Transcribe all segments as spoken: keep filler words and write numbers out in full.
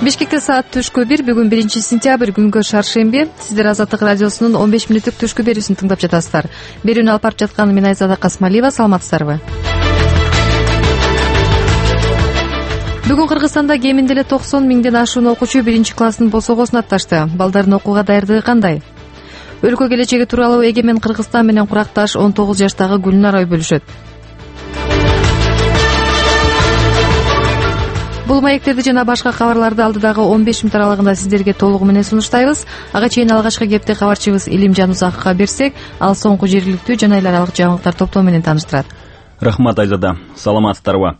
Бишкекте саат түшкү бир, бүгүн биринчи сентябрь, күнгө шаршемби. Сиздер Азаттык радиосунун он беш мүнөттүк түшкү берүүсүн тыңдап жатасыздар. Берүүнү алып барып жаткан мен Айзада Касмалиева, саламатсыздарбы? Бүгүн Кыргызстанда кеминде эле токсон миңден ашуун окуучу биринчи класстын босогосуна атташты. Балдардын окууга даярдыгы кандай? Өлкө келечеги тууралуу Эгемен Кыргызстан менен куракташ он тогуз жаштагы Гүлнар ой бөлүшөт. Бул маектерди жана башка кабарларды алдыдагы он беш мүнөт аралыгында сиздерге толугу менен сунуштайбыз. Ага чейин алгачкы кепти кабарчыбыз Илимжан Узаковго берсек, ал соңку жергиликтүү жана эл аралык жаңылыктар топтоо менен тааныштырат. Рахмат, Айзада. Саламатсыздарбы?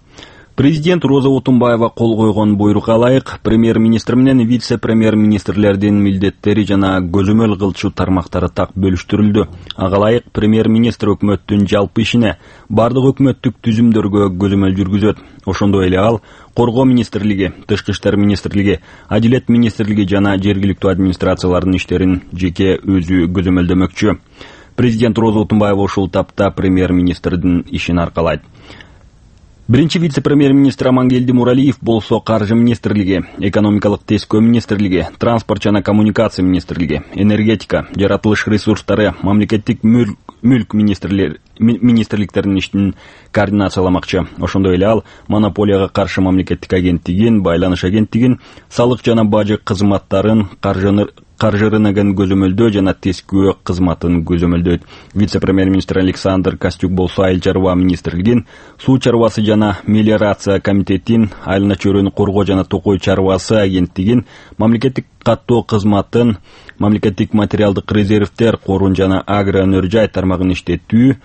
Президент Роза Отунбаева кол койгон буйрукка ылайык премьер-министр менен вице-премьер-министрлердин милдеттери жана көзөмөл кылчу тармактары так бөлүштүрүлдү. Ага ылайык премьер-министр өкмөттүн жалпы ишине, бардык өкмөттүк түзүмдөргө көзөмөл жүргүзөт. Ошондой эле ал Коргоо министрлиги, Тышкы иштер министрлиги, Адилет министрлиги жана жергиликтүү администрациялардын иштерин жеке өзү көзөмөлдөмөкчү. Президент Роза Отунбаева ушул тапта премьер-министрдин ишин аркалайт. Биринчи вице-премьер-министр Амангелди Муралиев болсо Каржы министрлиги, Экономикалык тескөө министрлиги, Транспорт жана коммуникация министрлиги, Энергетика, Жаратылыш ресурстары, Мамлекеттик мүлк министрликтеринин ишин координацияламакчы. Ошондой эле ал монополияга каршы мамлекеттик агенттигин, байланыш агенттигин, салык жана бажы кызматтарын, каржыны каржы рыногун көзөмөлдөө жана тескөө кызматын көзөмөлдөйт. Вице-премьер-министр Александр Костюк болсо айыл чарба министрлигин, суу чарбасы жана мелиорация комитетин, айылына чөйрөнү коргоо жана токой чарбасы агенттигин, мамлекеттик каттоо кызматын, мамлекеттик материалдык резервдер корун жана агро өнөр жай тармагын иштетүү,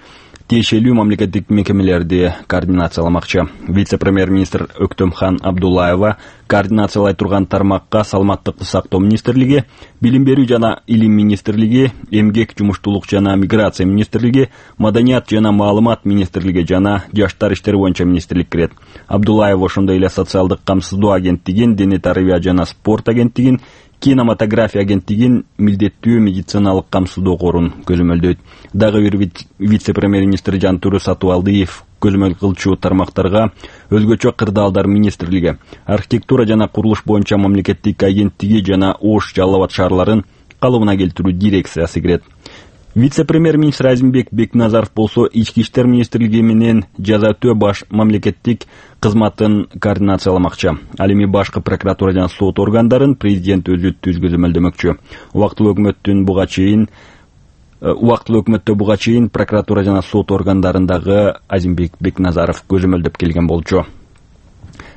тиешелүү мамлекеттик мекемелерди координацияламакчы. Вице-премьер-министр Өктөмхан Абдуллаева координациялай турган тармакка Саламаттыкты сактоо министрлиги, Билим берүү жана илим министрлиги, Эмгек, жумуштуулук жана миграция министрлиги, Маданият жана маалымат министрлиги жана Жаштар иштери боюнча министрлик кирет. Абдуллаев ошондой эле социалдык камсыздоо агенттигин, дене тарбия жана спорт агенттигин, кинематография агенттигин, милдеттүү медициналык камсыздоо корун көзөмөлдөйт. Дагы бир вице-премьер-министр Жантүрү Сатыбалдиев көзөмөл кылчу тармактарга өзгөчө кырдаалдар министрлиги, архитектура жана курулуш боюнча мамлекеттик агенттиги жана Ош, Жалал Абад шаарларын калыбына келтирүү дирекциясы кирет. Вице-премьер-министр Азимбек Бекназаров болсо ички иштер министрлиги менен жаза өтөө баш мамлекеттик кызматын координацияламакчы. Ал эми башкы прокуратура жана сот органдарын президент өзү түз көзөмөлдөмөкчү. Убактылуу өкмөттүн буга чейин убактылуу өкмөттө буга чейин прокуратура жана сот органдарындагы Азимбек Бекназаров көзөмөлдөп келген болчу.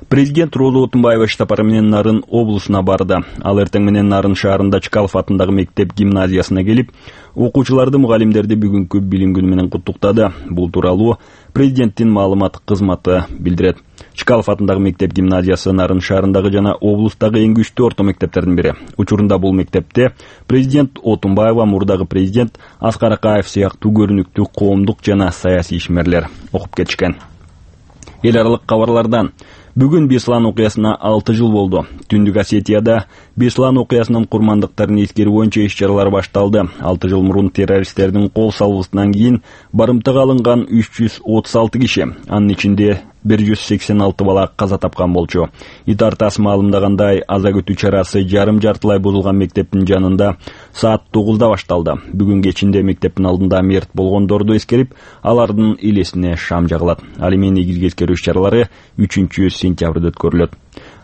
Президент Роза Отунбаева иш сапары менен Нарын облусуна барды. Ал эртең менен Нарын шаарында Чкалов атындагы мектеп гимназиясына келип, окуучуларды, мугалимдерди бүгүнкү билим күнү менен куттуктады. Бул тууралуу президенттин маалымат кызматы билдирет. Чкалов атындагы мектеп гимназиясы Нарын шаарындагы жана облустагы эң күчтүү орто мектептердин бири. Учурунда бул мектепте президент Отунбаева, мурдагы президент Аскар Акаев сыяктуу көрүнүктүү коомдук жана саясий ишмерлер окуп кетишкен. Эл аралык кабарлардан бүгүн Беслан окуясына алты жыл болду. Түндүк Осетияда Беслан окуясынын курмандыктарын эскерүү боюнча иш-чаралар башталды. алты жыл мурун террористтердин кол салуусунан кийин барымтага алынган үч жүз отуз алты киши, анын ичинде бир жүз сексен алты бала каза тапкан болчу. Итар тас маалымдагандай, аза күтүү чарасы жарым жартылай бузулган мектептин жанында саат тогузда башталды. Бүгүн кечинде мектептин алдында мерт болгондорду эскерип, алардын элесине шам жагылат. Ал эми негизги эскерүү иш-чаралары үчүнчү сентябрда өткөрүлөт.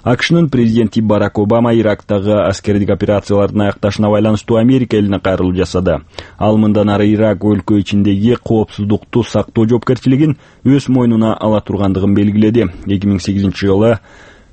АКШнын президенти Барак Обама Ирактагы аскердик операциялардын аякташына байланыштуу Америка элине кайрылуу жасады. Ал мындан ары Ирак өлкө ичиндеги коопсуздукту сактоо жоопкерчилигин өз мойнуна ала тургандыгын белгиледи. эки миң сегизинчи жылы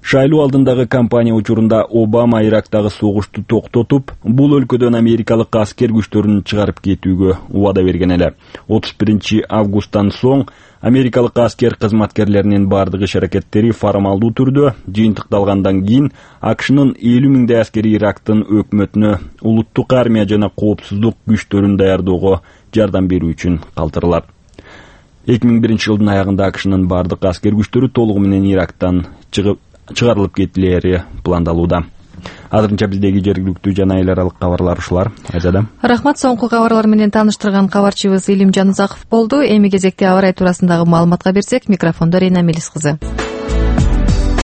шайлоо алдындагы кампания учурунда Обама Ирактагы согушту токтотуп, бул өлкөдөн америкалык аскер күчтөрүн чыгарып кетүүгө убада берген эле. отуз биринчи августтан соң америкалык аскер кызматкерлеринин бардык иш-аракеттери формалдуу түрдө жыйынтыкталгандан кийин АКШнын элүү миңдей аскери Ирактын өкмөтүнө улуттук армия жана коопсуздук күчтөрүн даярдоого жардам берүү үчүн калтырылат. эки миң биринчи жылдын аягында АКШнын бардык аскер күчтөрү толугу менен Ирактан чыгып чыгарылып кетилери пландалууда. Азырынча биздеги жергиликтүү жана эл аралык кабарлар ушулар. Айзада. Рахмат, соңку кабарлар менен тааныштырган кабарчыбыз Илимжан Узаков болду. Эми кезекте аба ырайы туурасындагы маалыматка берсек, микрофондо Рейна Мелис кызы.